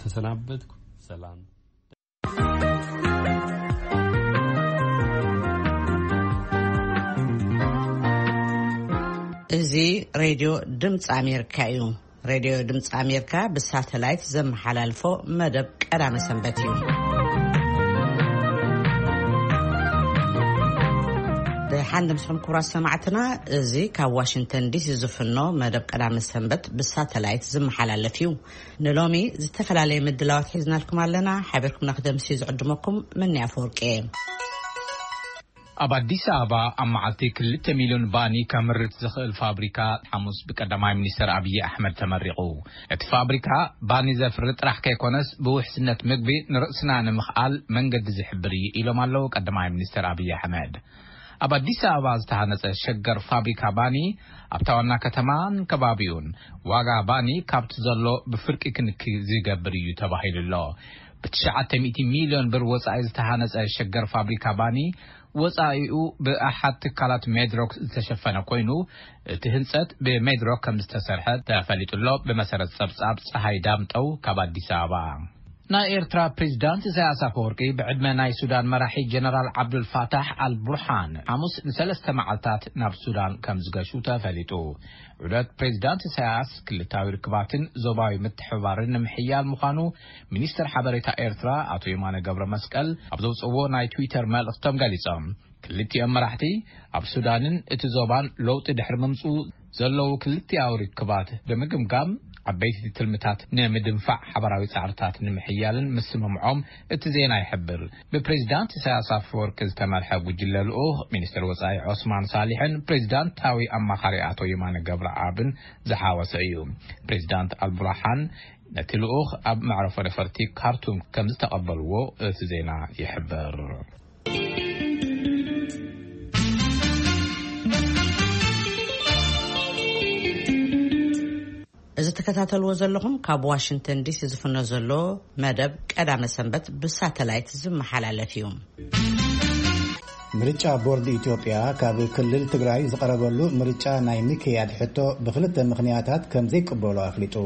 ተሰናበትኩ። ሰላም። እዚ ሬድዮ ድምፂ ኣሜሪካ እዩ። ሬድዮ ድምፂ ኣሜሪካ ብሳተላይት ዘመሓላልፎ መደብ ቀዳመ ሰንበት እዩ። ደሓን ድምፅኹም ክቡራት ሰማዕትና፣ እዚ ካብ ዋሽንግተን ዲሲ ዝፍኖ መደብ ቀዳመ ሰንበት ብሳተላይት ዝመሓላለፍ እዩ። ንሎሚ ዝተፈላለየ ምድላዋት ሒዝናልኩም ኣለና። ሓቢርኩም ንክደምሲ ዝዕድመኩም መኒ ኣፈወርቂ እየ። ኣብ ኣዲስ ኣበባ ኣብ መዓልቲ ክልተ ሚልዮን ባኒ ከምርት ዝኽእል ፋብሪካ ሓሙስ ብቀዳማይ ሚኒስትር ኣብይ ኣሕመድ ተመሪቑ። እቲ ፋብሪካ ባኒ ዘፍሪ ጥራሕ ከይኮነስ ብውሕስነት ምግቢ ንርእስና ንምኽኣል መንገዲ ዝሕብር እዩ ኢሎም ኣለዉ ቀዳማይ ሚኒስትር ኣብይ ኣሕመድ። ኣብ ኣዲስ ኣበባ ዝተሃነጸ ሸገር ፋብሪካ ባኒ ኣብታ ዋና ከተማን ከባቢኡን ዋጋ ባኒ ካብቲ ዘሎ ብፍርቂ ክንኪ ዝገብር እዩ ተባሂሉ ኣሎ። ብትሽዓተ ሚእቲ ሚልዮን ብር ወጻኢ ዝተሃነጸ ሸገር ፋብሪካ ባኒ ወጻኢኡ ብኣሓት ትካላት ሜድሮክ ዝተሸፈነ ኮይኑ፣ እቲ ህንጸት ብሜድሮክ ከም ዝተሰርሐ ተፈሊጡ ኣሎ። ብመሰረት ጸብጻብ ጸሃይ ዳምጠው ካብ ኣዲስ ኣበባ። ናይ ኤርትራ ፕሬዝዳንት ኢሳያስ ኣፈወርቂ ብዕድመ ናይ ሱዳን መራሒ ጀነራል ዓብዱልፋታሕ ኣልቡርሃን ሓሙስ ንሰለስተ መዓልታት ናብ ሱዳን ከም ዝገሹ ተፈሊጡ። ዑደት ፕሬዝዳንት ኢሳያስ ክልታዊ ርክባትን ዞባዊ ምትሕብባርን ንምሕያል ምዃኑ ሚኒስትር ሓበሬታ ኤርትራ ኣቶ የማነ ገብረ መስቀል ኣብ ዘውፅዎ ናይ ትዊተር መልእኽቶም ገሊጾም። ክልቲኦም መራሕቲ ኣብ ሱዳንን እቲ ዞባን ለውጢ ድሕሪ ምምፅኡ ዘለዉ ክልቲኣዊ ርክባት ብምግምጋም ዓበይቲ ትልምታት ንምድንፋዕ ሓበራዊ ጻዕርታት ንምሕያልን ምስምምዖም እቲ ዜና ይሕብር። ብፕሬዝዳንት ኢሳያስ ኣፈወርቂ ዝተመርሐ ጉጅለ ልኡኽ ሚኒስትር ወጻኢ ዖስማን ሳሊሕን ፕሬዝዳንታዊ ኣማኻሪ ኣቶ የማነ ገብረኣብን ዝሓወሰ እዩ። ፕሬዝዳንት ኣልቡርሃን ነቲ ልኡኽ ኣብ መዕረፎ ነፈርቲ ካርቱም ከም ዝተቐበልዎ እቲ ዜና ይሕብር። እዚ ትከታተልዎ ዘለኹም ካብ ዋሽንግተን ዲሲ ዝፍኖ ዘሎ መደብ ቀዳመ ሰንበት ብሳተላይት ዝመሓላለፍ እዩ። ምርጫ ቦርድ ኢትዮጵያ ካብ ክልል ትግራይ ዝቐረበሉ ምርጫ ናይ ምክያድ ሕቶ ብክልተ ምኽንያታት ከም ዘይቅበሎ ኣፍሊጡ።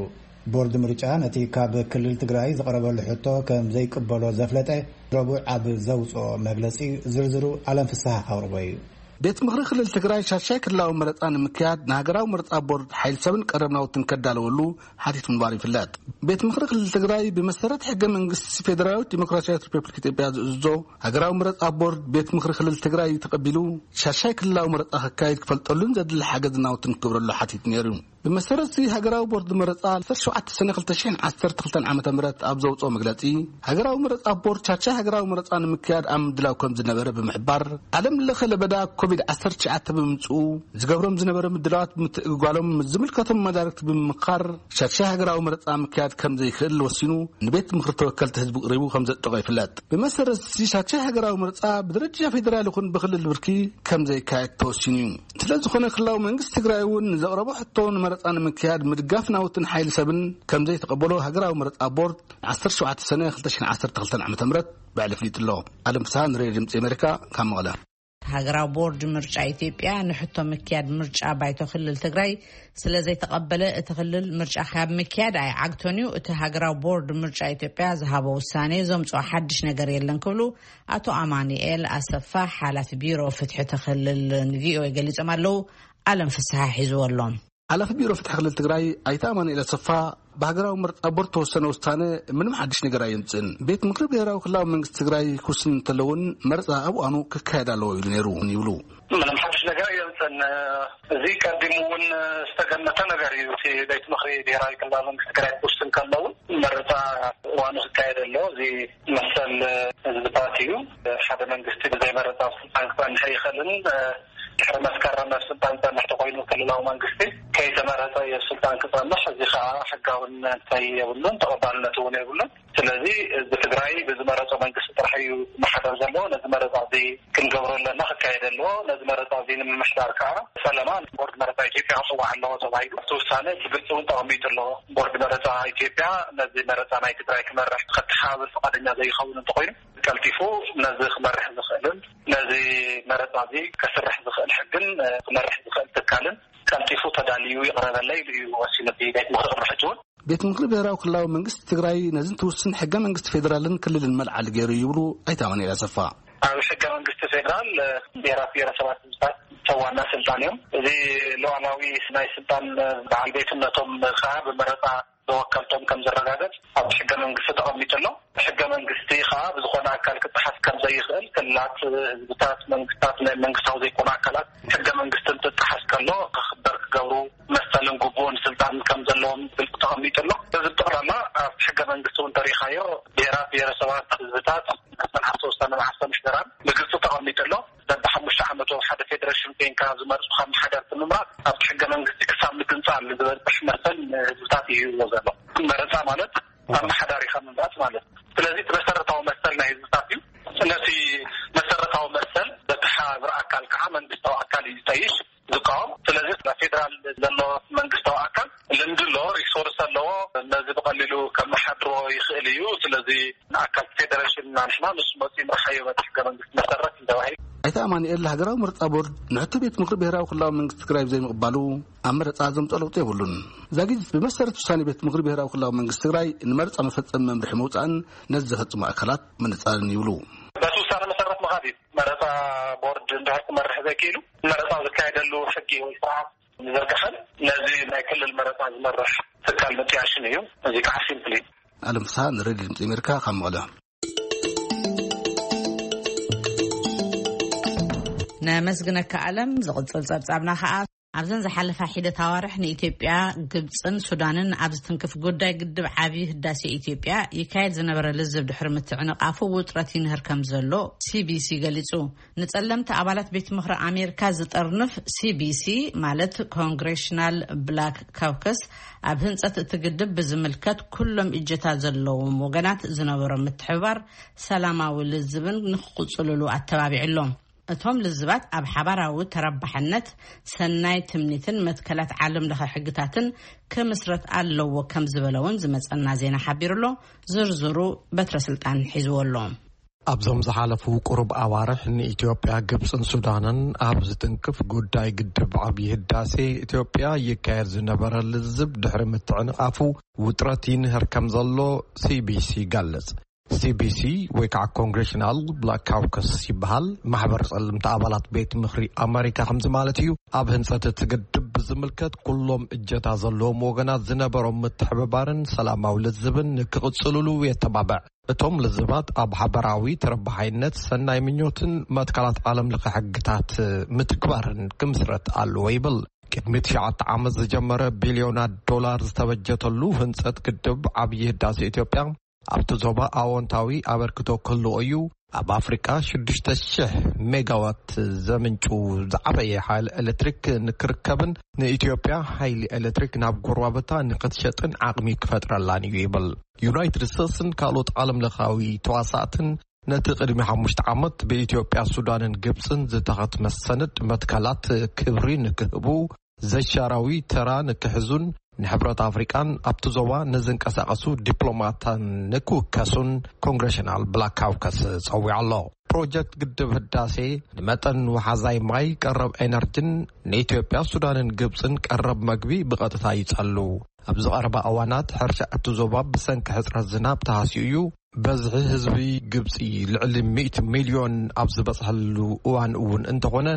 ቦርድ ምርጫ ነቲ ካብ ክልል ትግራይ ዝቐረበሉ ሕቶ ከም ዘይቅበሎ ዘፍለጠ ረቡዕ ኣብ ዘውፅኦ መግለፂ ዝርዝሩ ኣለም ፍስሓ ኣቕርቦ እዩ። ቤት ምኽሪ ክልል ትግራይ ሻሻይ ክልላዊ መረፃ ንምክያድ ንሃገራዊ መረፃ ቦርድ ሓይል ሰብን ቀረብ ናውትን ከዳለወሉ ሓቲቱ ምንባሩ ይፍለጥ። ቤት ምኽሪ ክልል ትግራይ ብመሰረት ሕገ መንግስቲ ፌደራላዊት ዲሞክራሲያዊት ሪፐብሊክ ኢትዮጵያ ዝእዝዞ ሃገራዊ መረፃ ቦርድ ቤት ምኽሪ ክልል ትግራይ ተቐቢሉ ሻሻይ ክልላዊ መረፃ ከካይድ ክፈልጠሉን ዘድሊ ሓገዝ ናውትን ክገብረሉ ሓቲቱ ነይሩ። ብመሰረት እዚ ሃገራዊ ቦርድ መረፃ ዓሰርተ ሸውዓተ ሰነ ክልተ ሽሕን ዓሰርተ ክልተን ዓመተ ምህረት ኣብ ዘውፅኦ መግለፂ፣ ሃገራዊ መረፃ ቦርድ ቻቻ ሃገራዊ መረፃ ንምክያድ ኣብ ምድላው ከም ዝነበረ ብምሕባር፣ ዓለም ለኸ ለበዳ ኮቪድ ዓሰርተ ትሽዓተ ብምምፅኡ ዝገብሮም ዝነበረ ምድላዋት ብምትእግጓሎም ምስ ዝምልከቶም መዳርግቲ ብምምኻር ሻቻ ሃገራዊ መረፃ ምክያድ ከም ዘይክእል ወሲኑ ንቤት ምኽሪ ተወከልቲ ህዝቢ ቅሪቡ ከም ዘጽደቆ ይፍለጥ። ብመሰረት እዚ ሻቻ ሃገራዊ መረፃ ብደረጃ ፌደራል ይኹን ብክልል ብርኪ ከም ዘይካየድ ተወሲኑ እዩ። ስለ ዝኾነ ክልላዊ መንግስቲ ትግራይ እውን ንዘቕረቦ ሕቶ ንመረፃ ንምክያድ ምድጋፍ ናውትን ሓይሊ ሰብን ከም ዘይተቐበሎ ሃገራዊ መረፃ ቦርድ ዓሰርተ ሸውዓተ ሰነ ክልተ ሽሕን ዓሰርተ ክልተን ዓመተ ምህረት ባዕሉ ኣፍሊጡ ኣሎ። ኣለም ፍስሃ ንሬድዮ ድምፂ ኣሜሪካ ካብ መቐለ። ሃገራዊ ቦርድ ምርጫ ኢትዮጵያ ንሕቶ ምክያድ ምርጫ ባይቶ ክልል ትግራይ ስለ ዘይተቐበለ እቲ ክልል ምርጫ ካብ ምክያድ ኣይዓግቶን እዩ። እቲ ሃገራዊ ቦርድ ምርጫ ኢትዮጵያ ዝሃቦ ውሳኔ ዘምፅኦ ሓድሽ ነገር የለን ክብሉ ኣቶ ኣማኑኤል ኣሰፋ ሓላፊ ቢሮ ፍትሒ እቲ ክልል ንቪኦኤ ገሊጾም ኣለዉ። ኣለም ፍስሓ ሒዝዎ ኣሎ። ሓላፊ ቢሮ ፍትሒ ክልል ትግራይ ኣይተ ኣማኑኤል ኣሰፋ ብሃገራዊ መረፃ ቦርድ ተወሰነ ውሳነ ምንም ሓድሽ ነገር ኣየምፅእን። ቤት ምክሪ ብሄራዊ ክልላዊ መንግስቲ ትግራይ ክውስን እንተለውን መረፃ ኣብ እዋኑ ክካየድ ኣለዎ ኢሉ ነይሩ እውን ይብሉ። ምንም ሓድሽ ነገር ኣየምፅእን። እዚ ቀዲሙ እውን ዝተገመተ ነገር እዩ። እቲ ቤት ምክሪ ብሄራዊ ክልላዊ መንግስቲ ትግራይ ክውስን ከለውን መረፃ እዋኑ ክካየድ ኣለዎ። እዚ መሰል ህዝብታት እዩ። ሓደ መንግስቲ ብዘይ መረፃ ኣብ ስልጣን ክፀንሕ ኣይኽእልን። ድሕሪ መስከረም ኣብ ስልጣን ዝፀንሕ ተኮይኑ ክልላዊ መንግስቲ ከይተመረፀ እዩ ኣብ ስልጣን ክፀንሕ። እዚ ከዓ ሕጋውነት የብሉን፣ ተቐባልነት እውን የብሉን። ስለዚ ህዝቢ ትግራይ ብዝመረፆ መንግስቲ ጥራሕ እዩ ክመሓደር ዘለዎ። ነዚ መረፃ እዚ ክንገብሮ ኣለና፣ ክካየድ ኣለዎ። ነዚ መረፃ እዚ ንምምሕዳር ከዓ ፈለማ ቦርድ መረፃ ኢትዮጵያ ክፅዋዕ ኣለዎ ተባሂሉ እቲ ውሳነ ብግልፂ እውን ተቐሚጡ ኣለዎ። ቦርድ መረፃ ኢትዮጵያ ነዚ መረፃ ናይ ትግራይ ክመርሕ ከተሓባብር ፍቓደኛ ዘይኸውን እንተኮይኑ ቀልጢፉ ነዚ ክመርሕ ዝኽእልን ነዚ መረፃ እዚ ከስርሕ ዝኽእል ሕግን ክመርሕ ዝኽእል ትካልን ቀልጢፉ ተዳልዩ ይቕረበለይ ኢሉ እዩ ወሲኑ እቲ ቤት ምኽሪ ቅድሚ ሕጂ እውን። ቤት ምኽሪ ብሔራዊ ክልላዊ መንግስቲ ትግራይ ነዚ እንትውስን ሕገ መንግስቲ ፌዴራልን ክልልን መልዓሊ ገይሩ ይብሉ ኣይተ ኣማኑኤል ኣሰፋ። ኣብ ሕገ መንግስቲ ፌዴራል ብሔራት ብሔረሰባት ህዝብታት ዋና ስልጣን እዮም። እዚ ሉዓላዊ ናይ ስልጣን በዓል ቤትነቶም ከዓ ብመረፃ ብወከልቶም ከም ዝረጋገፅ ኣብቲ ሕገ መንግስቲ ተቐሚጡ ኣሎ። ሕገ መንግስቲ ከዓ ብዝኾነ ኣካል ክጠሓስ ከም ዘይኽእል፣ ክልላት፣ ህዝብታት፣ መንግስታት፣ ናይ መንግስታዊ ዘይኮኑ ኣካላት ሕገ መንግስቲ እንትጠሓስ ከሎ ክኽበር ክገብሩ መሰልን ግቡእን ስልጣን ከም ዘለዎም ብግልፂ ተቐሚጡ ኣሎ። እዚ ብጠቕላላ ኣብቲ ሕገ መንግስቲ እውን ተሪኻዮ ብሔራት ብሔረሰባት ህዝብታት መሰል ሃፍቲ ውሳነ መዓርፎ ምሕደራን ብግልፂ ተቐሚጡ ኣሎ። በብሓሙሽተ ዓመቱ ሓደ ፌዴሬሽን ኮይንካ ዝመርፁ ካብ መሓደርቲ ምምራፅ ኣብቲ ሕገ መንግስቲ ክሳብ ምግንፃል ዝበፅሕ መሰል ንህዝብታት እዩ ሂብዎ ዘሎ። መረፃ ማለት ኣመሓዳሪኻ ምምራፅ ማለት እዩ። ስለዚ እቲ መሰረታዊ መሰል ናይ ህዝብታት እዩ። ነቲ መሰረታዊ መሰል በቲ ሓብር ኣካል ከዓ መንግስታዊ ኣካል እዩ ዝጠይሽ ዝቃወም። ስለዚ ኣብ ፌዴራል ዘሎ መንግስታዊ ኣካል ልምዲ ኣለዎ፣ ሪሶርስ ኣለዎ፣ ነዚ ብቐሊሉ ከመሓድሮ ይኽእል እዩ። ስለዚ ንኣካል ፌዴሬሽን እና ንሕና ንሱ መፂኡ ምርሓዮ በቲ ሕገ መንግስቲ መሰረት እዩ ተባሂሉ። ኣይተ ኣማኑኤል፣ ሃገራዊ ምርጫ ቦርድ ንሕቶ ቤት ምኽሪ ብሔራዊ ክልላዊ መንግስቲ ትግራይ ብዘይምቕባሉ ኣብ መረፃ ዘምፅኦ ለውጢ የብሉን። ዛጊት ብመሰረት ውሳኔ ቤት ምኽሪ ብሔራዊ ክልላዊ መንግስቲ ትግራይ ንመረፃ መፈፀሚ መምርሒ ምውፃእን ነዚ ዘፈፅሙ ኣካላት ምንፃልን ይብሉ። በቲ ውሳነ መሰረት ምኻድ እዩ። መረፃ ቦርድ እንድሕር ክመርሕ ዘይክኢሉ መረፃ ዝካየደሉ ሕጊ ወይ ስርዓት ምዝርጋሕን ነዚ ናይ ክልል መረፃ ዝመርሕ ትካል ምጥያሽን እዩ። እዚ ከዓ ሲምፕሊ። ኣለም ፍስሃ ንሬድዮ ድምፂ ኣሜሪካ ካብ መቐለ። ነመስግነካ ኣለም። ዝቕጽል ጸብጻብና ከኣ ኣብዘን ዝሓለፋ ሒደት ኣዋርሕ ንኢትዮጵያ፣ ግብጽን ሱዳንን ኣብ ዝትንክፍ ጉዳይ ግድብ ዓቢ ህዳሴ ኢትዮጵያ ይካየድ ዝነበረ ልዝብ ድሕሪ ምትዕንቓፉ ውጥረት ይንህር ከም ዘሎ ሲቢሲ ገሊጹ። ንጸለምቲ ኣባላት ቤት ምኽሪ ኣሜሪካ ዝጠርንፍ ሲቢሲ ማለት ኮንግሬሽናል ብላክ ካውከስ ኣብ ህንጸት እቲ ግድብ ብዝምልከት ኩሎም እጀታ ዘለዎም ወገናት ዝነበሮም ምትሕብባር ሰላማዊ ልዝብን ንክቕጽልሉ ኣተባቢዑ ኣሎ። እቶም ልዝባት ኣብ ሓባራዊ ተረባሕነት፣ ሰናይ ትምኒትን መትከላት ዓለም ለኸ ሕግታትን ክምስረት ኣለዎ ከም ዝበለ እውን ዝመጸና ዜና ሓቢሩ ኣሎ። ዝርዝሩ በትረ ስልጣን ሒዝዎ ኣሎ። ኣብዞም ዝሓለፉ ቁሩብ ኣዋርሕ ንኢትዮጵያ፣ ግብጽን ሱዳንን ኣብ ዝትንክፍ ጉዳይ ግድብ ዓብዪ ህዳሴ ኢትዮጵያ ይካየድ ዝነበረ ልዝብ ድሕሪ ምትዕንቓፉ ውጥረት ይንህር ከም ዘሎ ሲቢሲ ይገልጽ። ሲቢሲ ወይ ከዓ ኮንግሬሽናል ብላክ ካውከስ ይበሃል። ማሕበር ጸለምቲ ኣባላት ቤት ምኽሪ ኣመሪካ ከምዚ ማለት እዩ። ኣብ ህንጸት እቲ ግድብ ብዝምልከት ኩሎም እጀታ ዘለዎም ወገናት ዝነበሮም ምትሕብባርን ሰላማዊ ልዝብን ንክቕጽልሉ የተባብዕ። እቶም ልዝባት ኣብ ሓበራዊ ተረባሓይነት፣ ሰናይ ምኞትን መትከላት ዓለም ለኸ ሕግታት ምትግባርን ክምስረት ኣለዎ ይብል። ቅድሚ ትሽዓተ ዓመት ዝጀመረ ቢልዮናት ዶላር ዝተበጀተሉ ህንጸት ግድብ ዓብዪ ህዳሴ ኢትዮጵያ ኣብቲ ዞባ ኣዎንታዊ ኣበርክቶ ክህልዎ እዩ። ኣብ ኣፍሪቃ ሽዱሽተ ሽሕ ሜጋዋት ዘምንጩ ዝዓበየ ሓይሊ ኤሌክትሪክ ንክርከብን ንኢትዮጵያ ሓይሊ ኤሌክትሪክ ናብ ጎረባብታ ንክትሸጥን ዓቕሚ ክፈጥረላን እዩ ይብል። ዩናይትድ ስቴትስን ካልኦት ዓለም ለኻዊ ተዋሳእትን ነቲ ቅድሚ ሓሙሽተ ዓመት ብኢትዮጵያ፣ ሱዳንን ግብጽን ዝተኸትመ ሰነድ መትከላት ክብሪ ንክህቡ፣ ዘይሻራዊ ተራ ንክሕዙን ንሕብረት ኣፍሪቃን ኣብቲ ዞባ ንዝንቀሳቐሱ ዲፕሎማታን ንክውከሱን ኮንግሬሽናል ብላክ ካውከስ ጸዊዑ ኣሎ። ፕሮጀክት ግድብ ህዳሴ ንመጠን ወሓዛይ ማይ፣ ቀረብ ኤነርጂን ንኢትዮጵያ፣ ሱዳንን ግብጽን ቀረብ መግቢ ብቐጥታ ይጸሉ። ኣብዚ ቀረባ እዋናት ሕርሻ እቲ ዞባ ብሰንኪ ሕጽረት ዝናብ ተሃስዩ እዩ። በዝሒ ህዝቢ ግብጺ ልዕሊ ሚእቲ ሚልዮን ኣብ ዝበጽሐሉ እዋን እውን እንተኾነ፣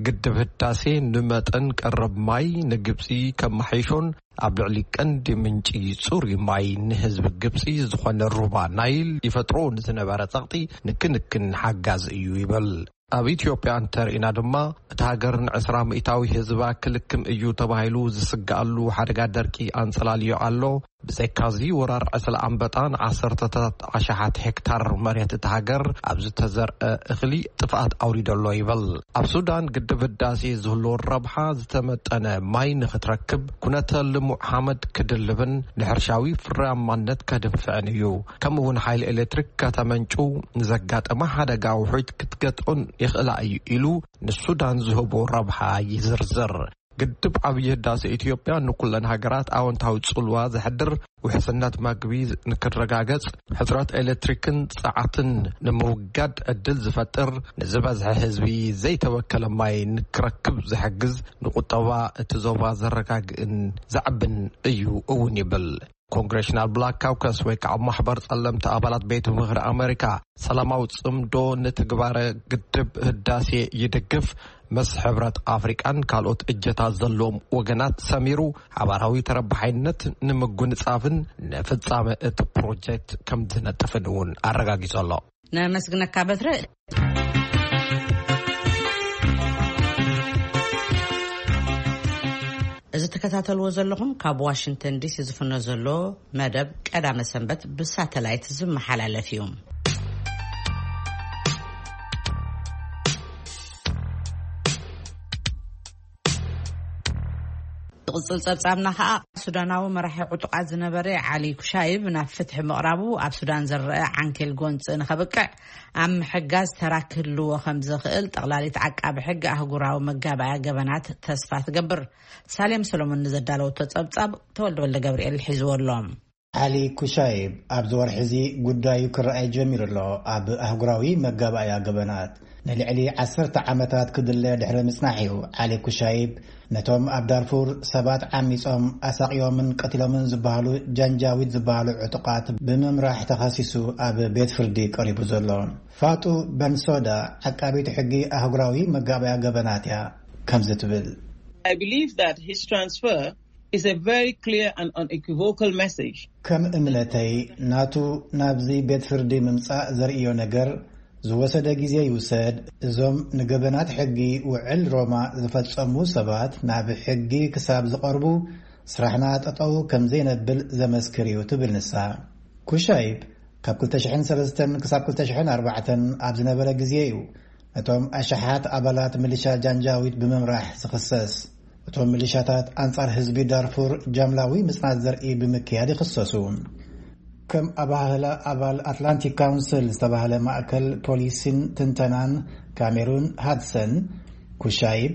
ግድብ ህዳሴ ንመጠን ቀረብ ማይ ንግብጺ ከመሓይሾን ኣብ ልዕሊ ቀንዲ ምንጪ ጽሩይ ማይ ንህዝቢ ግብጺ ዝኾነ ሩባ ናይል ይፈጥሮ ንዝነበረ ጸቕጢ ንክንክን ሓጋዚ እዩ ይብል። ኣብ ኢትዮጵያ እንተርኢና ድማ፣ እቲ ሃገር ንዕስራ ሚእታዊ ህዝባ ክልክም እዩ ተባሂሉ ዝስግኣሉ ሓደጋ ደርቂ ኣንጸላልዮ ኣሎ። ብዘይካዚ፣ ወራር ዕስለ ኣንበጣ ንዓሰርተታት ኣሽሓት ሄክታር መሬት እታ ሃገር ኣብ ዝተዘርአ እኽሊ ጥፍኣት ኣውሪዱ ኣሎ ይብል። ኣብ ሱዳን፣ ግድብ ህዳሴ ዝህልዎ ረብሓ ዝተመጠነ ማይ ንኽትረክብ፣ ኩነተ ልሙዕ ሓመድ ክድልብን ንሕርሻዊ ፍርያማነት ከድንፍዕን እዩ። ከምኡ እውን ሓይሊ ኤሌክትሪክ ከተመንጩ፣ ንዘጋጠመ ሓደጋ ውሑድ ክትገጥኦን ይኽእላ እዩ ኢሉ ንሱዳን ዝህቦ ረብሓ ይዝርዝር። ግድብ ዓብዪ ህዳሴ ኢትዮጵያ ንኩለን ሃገራት ኣወንታዊ ጽልዋ ዘሕድር፣ ውሕስነት መግቢ ንክረጋገጽ፣ ሕጽረት ኤሌክትሪክን ጸዓትን ንምውጋድ ዕድል ዝፈጥር፣ ንዝበዝሐ ህዝቢ ዘይተበከለ ማይ ንክረክብ ዝሕግዝ፣ ንቁጠባ እቲ ዞባ ዘረጋግእን ዘዕብን እዩ እውን ይብል። ኮንግሬሽናል ብላክ ካውከስ ወይ ከዓ ማሕበር ጸለምቲ ኣባላት ቤት ምኽሪ ኣመሪካ፣ ሰላማዊ ጽምዶ ንትግባረ ግድብ ህዳሴ ይድግፍ፣ ምስ ሕብረት ኣፍሪቃን ካልኦት እጀታት ዘለዎም ወገናት ሰሚሩ፣ ሓባራዊ ተረባሓይነት ንምጉንጻፍን ንፍጻመ እቲ ፕሮጀክት ከም ዝነጥፍን እውን ኣረጋጊጹ ኣሎ። ነመስግነካ በትረ። እዚ ትከታተልዎ ዘለኹም ካብ ዋሽንግተን ዲሲ ዝፍኖ ዘሎ መደብ ቀዳመ ሰንበት ብሳተላይት ዝመሓላለፍ እዩ። ዝቕጽል ጸብጻብና ኸኣ፣ ሱዳናዊ መራሒ ዕጡቓት ዝነበረ ዓሊ ኩሻይብ ናብ ፍትሒ ምቕራቡ ኣብ ሱዳን ዝረአ ዓንኬል ጎንጺ ንኸብቅዕ ኣብ ምሕጋዝ ተራ ክህልዎ ከም ዝኽእል ጠቕላሊት ዓቃቢ ሕጊ ኣህጉራዊ መጋባእያ ገበናት ተስፋ ትገብር። ሳሌም ሰሎሞን ንዘዳለወቶ ጸብጻብ ተወልደ ወልደ ገብርኤል ሒዝዎ ኣሎ። ዓሊ ኩሻይብ ኣብዚ ወርሒ እዚ ጉዳዩ ክረኣይ ጀሚሩ ኣሎ። ኣብ ኣህጉራዊ መጋባእያ ገበናት ንልዕሊ ዓሰርተ ዓመታት ክድለ ድሕሪ ምጽናሕ እዩ ዓሊ ኩሻይብ ነቶም ኣብ ዳርፉር ሰባት ዓሚጾም ኣሳቕዮምን ቀቲሎምን ዝበሃሉ ጃንጃዊድ ዝበሃሉ ዕጡቓት ብምምራሕ ተኸሲሱ ኣብ ቤት ፍርዲ ቀሪቡ ዘሎ። ፋጡ በንሶዳ ዓቃቢት ሕጊ ኣህጉራዊ መጋባእያ ገበናት እያ ከምዚ ትብል። I believe that his transfer is a very clear and unequivocal message. ከም እምነተይ ናቱ ናብዚ ቤት ፍርዲ ምምጻእ ዘርእዮ ነገር ዝወሰደ ግዜ ይውሰድ። እዞም ንገበናት ሕጊ ውዕል ሮማ ዝፈጸሙ ሰባት ናብ ሕጊ ክሳብ ዝቐርቡ ስራሕና ጠጠው ከም ዘይነብል ዘመስክር እዩ ትብል ንሳ። ኩሻይብ ካብ ክልተ ሽሕን ሰለስተን ክሳብ ክልተ ሽሕን ኣርባዕተን ኣብ ዝነበረ ግዜ እዩ ነቶም ኣሽሓት ኣባላት ሚሊሻ ጃንጃዊድ ብምምራሕ ዝኽሰስ። እቶም ሚሊሻታት ኣንጻር ህዝቢ ዳርፉር ጃምላዊ ምጽናት ዘርኢ ብምክያድ ይኽሰሱ። ከም ኣባህላ ኣባል ኣትላንቲክ ካውንስል ዝተባህለ ማእከል ፖሊሲን ትንተናን ካሜሩን ሃድሰን፣ ኩሻይብ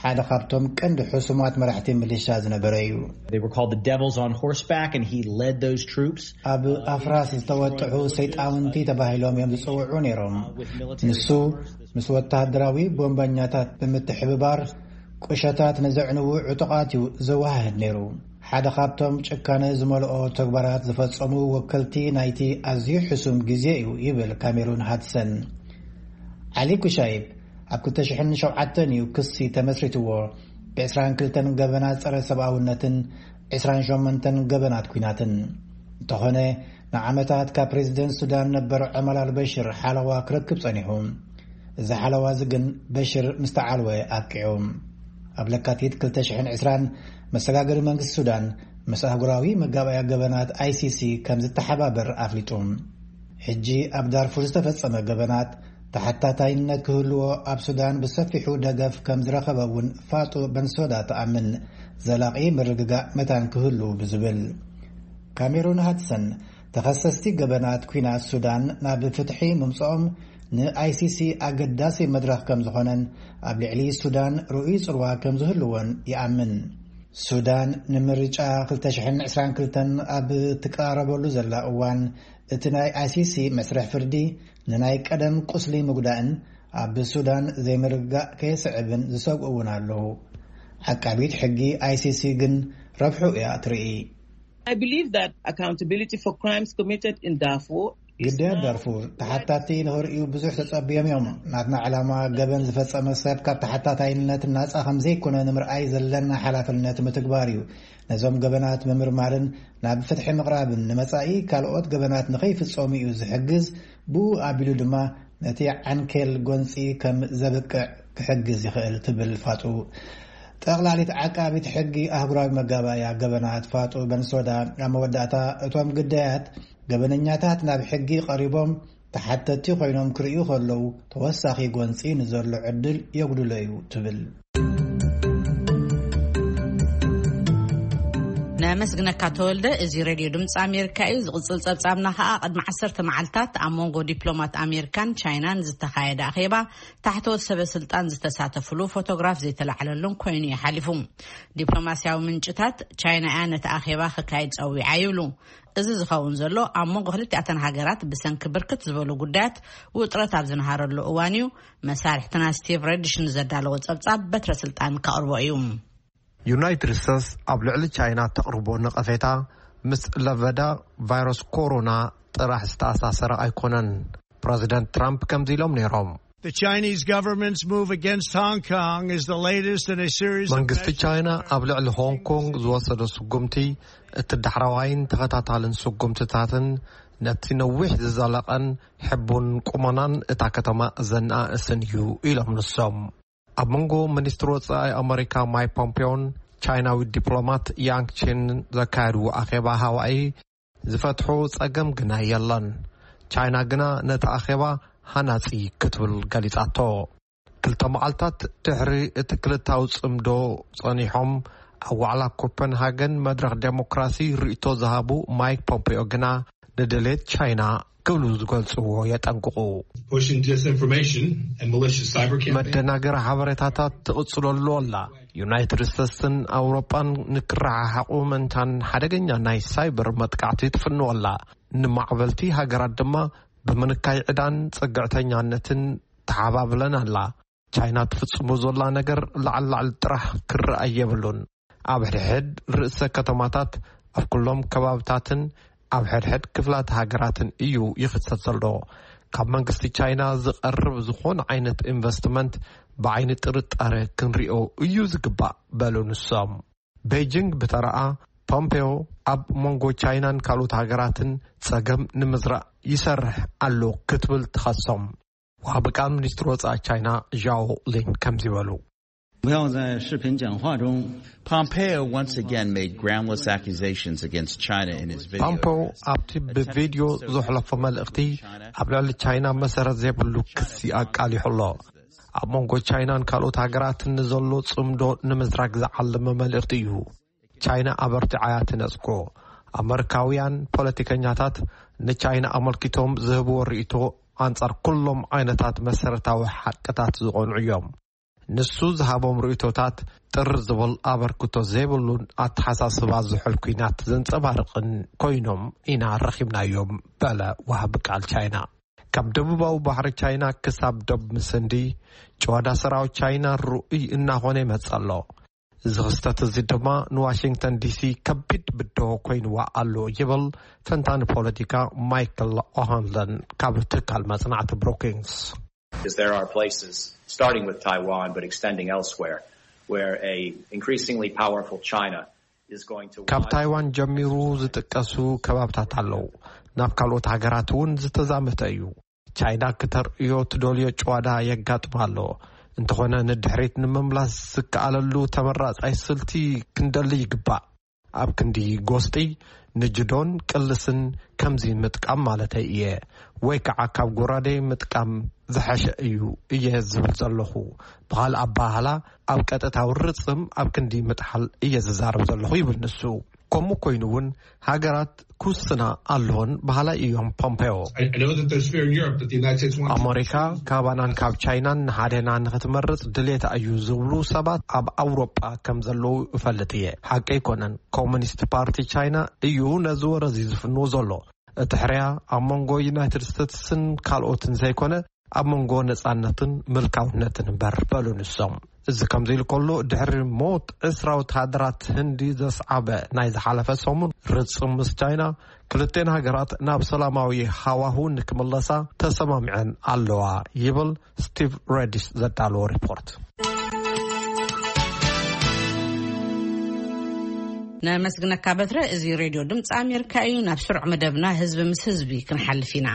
ሓደ ካብቶም ቀንዲ ሕሱማት መራሕቲ ሚሊሻ ዝነበረ እዩ። They were called the devils on horseback, and he led those troops. ኣብ ኣፍራስ ዝተወጥሑ ሰይጣውንቲ ተባሂሎም እዮም ዝጽውዑ ነይሮም። ንሱ ምስ ወተሃደራዊ ቦምበኛታት ብምትሕብባር ቁሸታት ንዘዕንዉ ዕጡቓት እዩ ዘወሃህድ ነይሩ። ሓደ ካብቶም ጭካነ ዝመልኦ ተግባራት ዝፈጸሙ ወከልቲ ናይቲ ኣዝዩ ሕሱም ግዜ እዩ ይብል ካሜሩን ሃድሰን። ዓሊ ኩሻይብ ኣብ ክልተ ሽሕን ሸውዓተን እዩ ክሲ ተመስሪትዎ፣ ብዕስራን ክልተን ገበናት ጸረ ሰብኣውነትን ዕስራን ሸሞንተን ገበናት ኲናትን። እንተኾነ ንዓመታት ካብ ፕሬዝደንት ሱዳን ነበር ዑመር ኣልበሽር ሓለዋ ክረክብ ጸኒሑ። እዚ ሓለዋ እዚ ግን በሽር ምስ ተዓልወ ኣብቂዑ። ኣብ ለካቲት ክልተ ሽሕን ዕስራን መሰጋገሪ መንግስቲ ሱዳን ምስ ኣህጉራዊ መጋባእያ ገበናት ኣይሲሲ ከም ዝተሓባበር ኣፍሊጡ። ሕጂ ኣብ ዳርፉር ዝተፈጸመ ገበናት ተሓታታይነት ክህልዎ ኣብ ሱዳን ብሰፊሑ ደገፍ ከም ዝረኸበ እውን ፋጡ በንሶዳ ትኣምን፣ ዘላቒ ምርግጋእ መታን ክህሉ ብዝብል። ካሜሩን ሃድሰን ተኸሰስቲ ገበናት ኲናት ሱዳን ናብ ፍትሒ ምምጽኦም ንኣይሲሲ ኣገዳሲ መድረኽ ከም ዝኾነን ኣብ ልዕሊ ሱዳን ርኡይ ጽልዋ ከም ዝህልዎን ይኣምን። ሱዳን ንምርጫ ክልተ ሽሕን ዕስራን ክልተን ኣብ ትቀራረበሉ ዘላ እዋን፣ እቲ ናይ ኣይሲሲ መስርሕ ፍርዲ ንናይ ቀደም ቁስሊ ምጉዳእን ኣብ ሱዳን ዘይምርግጋእ ከየስዕብን ዝሰግኡ እውን ኣለዉ። ዓቃቢት ሕጊ ኣይሲሲ ግን ረብሑ እያ ትርኢ። I believe that accountability for crimes committed in Darfur is ግዳያት now ዳርፉር ተሓታቲ ንኽርእዩ ብዙሕ ተጸብዮም እዮም። ናትና ዕላማ ገበን ዝፈጸመ ሰብ ካብ ተሓታታይነት ናጻ ከም ዘይኮነ ንምርኣይ ዘለና ሓላፍነት ምትግባር እዩ። ነዞም ገበናት ምምርማርን ናብ ፍትሒ ምቕራብን ንመጻኢ ካልኦት ገበናት ንኸይፍጸሙ እዩ ዝሕግዝ፣ ብኡ ኣቢሉ ድማ ነቲ ዓንኬል ጎንጺ ከም ዘብቅዕ ክሕግዝ ይኽእል ትብል ፋጡ። ጠቕላሊት ዓቃቢት ሕጊ ኣህጉራዊ መጋባእያ ገበናት ፋጡ በንሶዳ ኣብ መወዳእታ እቶም ግዳያት ገበነኛታት ናብ ሕጊ ቀሪቦም ተሓተቲ ኮይኖም ክርእዩ ከለዉ ተወሳኺ ጎንጺ ንዘሎ ዕድል የጉድሎ እዩ ትብል። ነመስግነካ ተወልደ። እዚ ሬድዮ ድምፂ ኣሜሪካ እዩ። ዝቕፅል ፀብፃብና ከዓ ቅድሚ ዓሰርተ መዓልታት ኣብ መንጎ ዲፕሎማት ኣሜሪካን ቻይናን ዝተኻየደ ኣኼባ ታሕተዎት ሰበ ስልጣን ዝተሳተፍሉ ፎቶግራፍ ዘይተላዕለሉን ኮይኑ እዩ ሓሊፉ። ዲፕሎማስያዊ ምንጭታት ቻይና እያ ነቲ ኣኼባ ክካየድ ፀዊዓ ይብሉ። እዚ ዝኸውን ዘሎ ኣብ መንጎ ክልቲኣተን ሃገራት ብሰንኪ ብርክት ዝበሉ ጉዳያት ውጥረት ኣብ ዝነሃረሉ እዋን እዩ። መሳርሕትና ስቲቭ ረድሽ ንዘዳለዎ ጸብጻብ በትረ ስልጣን ከቕርቦ እዩ። ዩናይትድ ስቴትስ ኣብ ልዕሊ ቻይና ተቕርቦ ነቐፌታ ምስ ለበዳ ቫይረስ ኮሮና ጥራሕ ዝተኣሳሰረ ኣይኮነን። ፕረዚደንት ትራምፕ ከምዚ ኢሎም ነይሮም። The Chinese government's move against Hong Kong is the latest in a series of መንግስቲ ቻይና ኣብ ልዕሊ ሆንግ ኮንግ ዝወሰዶ ስጉምቲ እቲ ዳሕረዋይን ተኸታታልን ስጉምትታትን ነቲ ነዊሕ ዝዘለቐን ሕቡን ቁመናን እታ ከተማ ዘነኣእስን እዩ ኢሎም ንሶም። ኣብ መንጎ ሚኒስትሪ ወጻኢ ኣመሪካ ማይክ ፖምፒዮን ቻይናዊ ዲፕሎማት ያንግ ቺን ዘካየድዎ ኣኼባ ሃዋኢ ዝፈትሖ ጸገም ግና የለን። ቻይና ግና ነቲ ኣኼባ ሃናጺ ክትብል ገሊጻቶ። ክልተ መዓልታት ድሕሪ እቲ ክልታዊ ጽምዶ ጸኒሖም ኣብ ዋዕላ ኮፐንሃገን መድረኽ ዴሞክራሲ ርእይቶ ዝሃቡ ማይክ ፖምፒዮ ግና ንድሌት ቻይና ክብሉ ዝገልጽዎ የጠንቅቑ። Pushing disinformation and malicious cyber campaign. መደናገሪ ሓበሬታታት ትቕጽለሉ ኣላ። ዩናይትድ ስቴትስን ኣውሮጳን ንክረሓሓቑ ምእንታን ሓደገኛ ናይ ሳይበር መጥቃዕቲ ትፍንወላ። ንማዕበልቲ ሃገራት ድማ ብምንካይ ዕዳን ጽግዕተኛነትን ተሓባብለን ኣላ። ቻይና ትፍጽሞ ዘላ ነገር ላዕሊ ላዕሊ ጥራሕ ክረኣይ የብሉን። ኣብ ሕድሕድ ርእሰ ከተማታት፣ ኣብ ኩሎም ከባብታትን ኣብ ሕድሕድ ክፍላት ሃገራትን እዩ ይኽሰት ዘሎ። ካብ መንግስቲ ቻይና ዝቐርብ ዝኾነ ዓይነት ኢንቨስትመንት ብዓይኒ ጥርጣረ ክንሪኦ እዩ ዝግባእ በሉ ንሶም። ቤጂንግ ብተረኣ ፖምፔዮ ኣብ መንጎ ቻይናን ካልኦት ሃገራትን ጸገም ንምዝራእ ይሰርሕ ኣሎ ክትብል ትኸሶም። ወሃቢ ቃል ሚኒስትሪ ወጻኢ ቻይና ዣኦ ሊን ከምዚ በሉ። 不要在视频讲话中 Pompeo once again made groundless accusations against China in his video. ፖምፔዮ ኣብቲ ብቪድዮ ዘሕለፎ መልእኽቲ ኣብ ልዕሊ ቻይና መሰረት ዘይብሉ ክሲ ኣቃሊሑ ኣሎ። ኣብ መንጎ ቻይናን ካልኦት ሃገራትን ንዘሎ ጽምዶ ንምዝራግ ዝዓለመ መልእኽቲ እዩ። ቻይና ኣበርቲዓ እያ ትነጽጎ። ኣመሪካውያን ፖለቲከኛታት ንቻይና ኣመልኪቶም ዝህብዎ ርእይቶ ኣንጻር ኩሎም ዓይነታት መሰረታዊ ሓቅታት ዝቐንዑ እዮም። ንሱ ዝሃቦም ርእይቶታት ጥር ዝብል ኣበርክቶ ዘይብሉን ኣተሓሳስባ ዝሑል ኲናት ዘንጸባርቕን ኮይኖም ኢና ረኺብናዮም በለ ወሃቢ ቃል ቻይና። ካብ ደቡባዊ ባሕሪ ቻይና ክሳብ ዶብ ምስንዲ ጭዋዳ ሰራዊት ቻይና ርኡይ እናኾነ ይመጽእ ኣሎ። እዚ ክስተት እዚ ድማ ንዋሽንግተን ዲሲ ከቢድ ብድሆ ኮይንዋ ኣሎ ይብል ተንታኒ ፖለቲካ ማይክል ኦሃንለን ካብ ትካል መጽናዕቲ ብሩኪንግስ። Is there are places, starting with Taiwan but extending elsewhere, where a increasingly powerful China is going to ካብ want ታይዋን ጀሚሩ ዝጥቀሱ ከባብታት ኣለዉ። ናብ ካልኦት ሃገራት እውን ዝተዛመተ እዩ። ቻይና ክተርእዮ ትደልዮ ጭዋዳ የጋጥማ ኣሎ። እንተኾነ ንድሕሪት ንምምላስ ዝከኣለሉ ተመራጻይ ስልቲ ክንደሊ ይግባእ። ኣብ ክንዲ ጎስጢ ንጅዶን ቅልስን ከምዚ ምጥቃም ማለተይ እየ፣ ወይ ከዓ ካብ ጎራዴ ምጥቃም ዝሐሸ እዩ እየ ዝብል ዘለኹ። ብኻልእ ኣባህላ ኣብ ቀጥታዊ ርጽም ኣብ ክንዲ ምጥሓል እየ ዝዛረብ ዘለኹ ይብል ንሱ። ከምኡ ኮይኑ እውን ሃገራት ክውስና ኣለዎን በሃላይ እዮም ፖምፔዮ። I know that there's fear in Europe that the United States wants ኣመሪካ ካባናን ካብ ቻይናን ንሓደና ንክትመርጽ ድሌታ እዩ ዝብሉ ሰባት ኣብ ኣውሮጳ ከም ዘለዉ እፈልጥ እየ። ሓቂ ኣይኮነን። ኮሙኒስት ፓርቲ ቻይና እዩ ነዚ ወረ እዚ ዝፍንዎ ዘሎ። እቲ ሕርያ ኣብ መንጎ ዩናይትድ ስቴትስን ካልኦትን ዘይኮነ ኣብ መንጎ ነጻነትን ምልካውነትን እምበር በሉ ንሶም። እዚ ከምዚ ኢሉ ከሎ ድሕሪ ሞት ዕስራ ወተሃደራት ህንዲ ዘስዓበ ናይ ዝሓለፈ ሰሙን ርጽም ምስ ቻይና ክልቴን ሃገራት ናብ ሰላማዊ ሃዋሁ ንክምለሳ ተሰማሚዐን ኣለዋ ይብል ስቲቭ ሬዲስ ዘዳለዎ ሪፖርት። ነመስግነካ በትረ። እዚ ሬድዮ ድምፂ ኣሜሪካ እዩ። ናብ ስሩዕ መደብና ህዝቢ ምስ ህዝቢ ክንሓልፍ ኢና።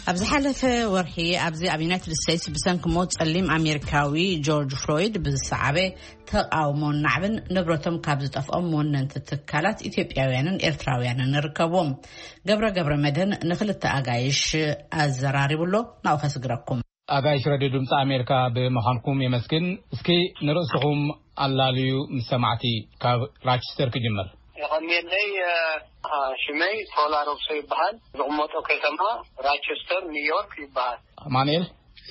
ኣብ ዝሓለፈ ወርሒ ኣብዚ ኣብ ዩናይትድ ስቴትስ ብሰንኪ ሞት ጸሊም ኣሜሪካዊ ጆርጅ ፍሎይድ ብዝሰዓበ ተቓውሞን ናዕብን ንብረቶም ካብ ዝጠፍኦም ወነንቲ ትካላት ኢትዮጵያውያንን ኤርትራውያንን ይርከብዎም። ገብረ ገብረ መድህን ንክልተ ኣጋይሽ ኣዘራሪቡ ኣሎ። ናብኡ ከስግረኩም። ኣጋይሽ ረድዮ ድምፂ ኣሜሪካ ብምዃንኩም የመስግን። እስኪ ንርእስኹም ኣላልዩ ምስ ሰማዕቲ ካብ ራቸስተር ክጅምር። የቐንየለይ። ሽመይ ቶላ ረብሶ ይበሃል። ዝቕመጦ ከተማ ራቸስተር ኒውዮርክ ይበሃል። ኣማኑኤል።